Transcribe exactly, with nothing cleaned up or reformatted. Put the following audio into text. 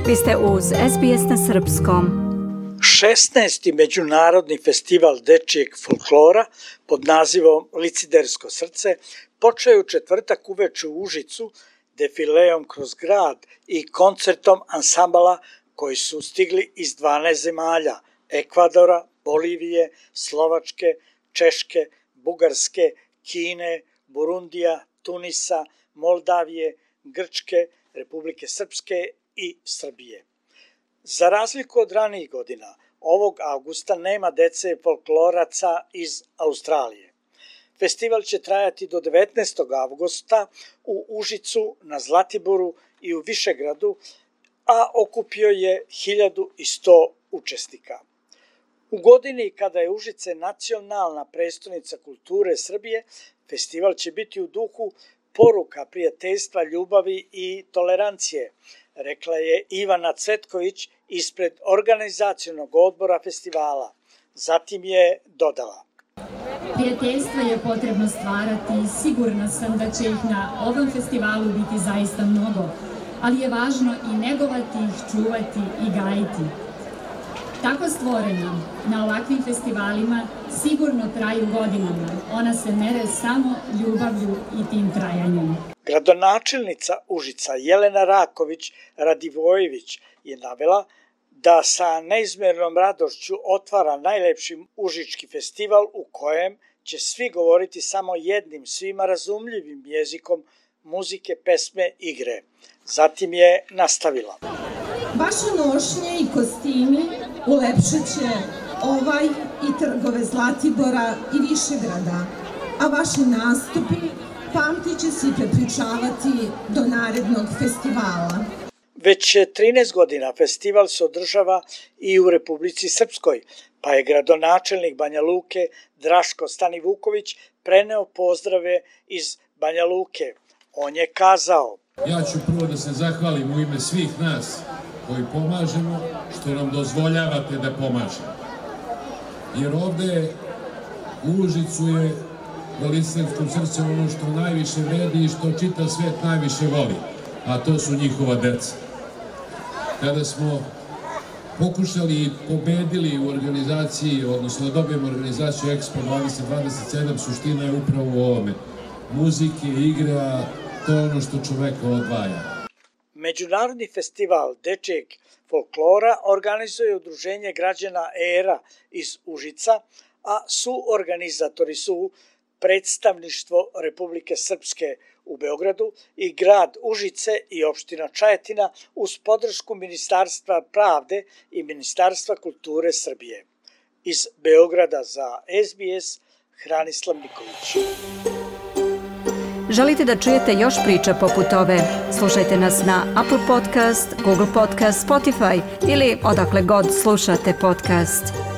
Vi ste uz S B S na srpskom. šesnaesti. Međunarodni festival dečijeg folklora pod nazivom Licidersko srce počeo je u četvrtak uveče u Užicu defileom kroz grad i koncertom ansambala koji su stigli iz dvanaest zemalja: Ekvadora, Bolivije, Slovačke, Češke, Bugarske, Kine, Burundija, Tunisa, Moldavije, Grčke, Republike Srpske i Srbije. Za razliku od ranijih godina, ovog avgusta nema dece folkloraca iz Australije. Festival će trajati do devetnaestog avgusta u Užicu, na Zlatiboru i u Višegradu, a okupio je hiljadu sto učesnika. U godini kada je Užice nacionalna prestonica kulture Srbije, festival će biti u duhu poruka prijateljstva, ljubavi i tolerancije, rekla je Ivana Cvetković ispred organizacionog odbora festivala. Zatim je dodala: Prijateljstva je potrebno stvarati i sigurna sam da će ih na ovom festivalu biti zaista mnogo, ali je važno i negovati ih, čuvati i gajiti. Tako stvorena na ovakvim festivalima sigurno traju godinama. Ona se mere samo ljubavlju i tim trajanjem. Gradonačelnica Užica Jelena Raković Radivojević je navela da sa neizmernom radošću otvara najlepši užički festival u kojem će svi govoriti samo jednim, svima razumljivim jezikom muzike, pesme, igre. Zatim je nastavila: Vaše nošnje i kostimi ulepšat će ovaj i trgove Zlatibora i Višegrada, a vaši nastupi pamtit će se i prepričavati do narednog festivala. Već trinaest godina festival se održava i u Republici Srpskoj, pa je gradonačelnik Banja Luke Draško Stanivuković preneo pozdrave iz Banja Luke. On je kazao: Ja ću prvo da se zahvalim u ime svih nas koji pomažemo, što nam dozvoljavate da pomažemo. Jer ovde u Užicu je na Liciderskom srcu ono što najviše vredi i što čita svet najviše voli, a to su njihova deca. Kada smo pokušali i pobedili u organizaciji, odnosno da dobijemo organizaciju Expo dvadeset dvadeset sedam, suština je upravo u ovome. Muzike, igre, to je ono što čoveka odvaja. Međunarodni festival dečijeg folklora organizuje Udruženje građana E R A iz Užica, a suorganizatori su Predstavništvo Republike Srpske u Beogradu i grad Užice i opština Čajetina uz podršku Ministarstva pravde i Ministarstva kulture Srbije. Iz Beograda za S B S, Hranislav Nikolić. Želite da čujete još priča poput ove? Slušajte nas na Apple Podcast, Google Podcast, Spotify ili odakle god slušate podcast.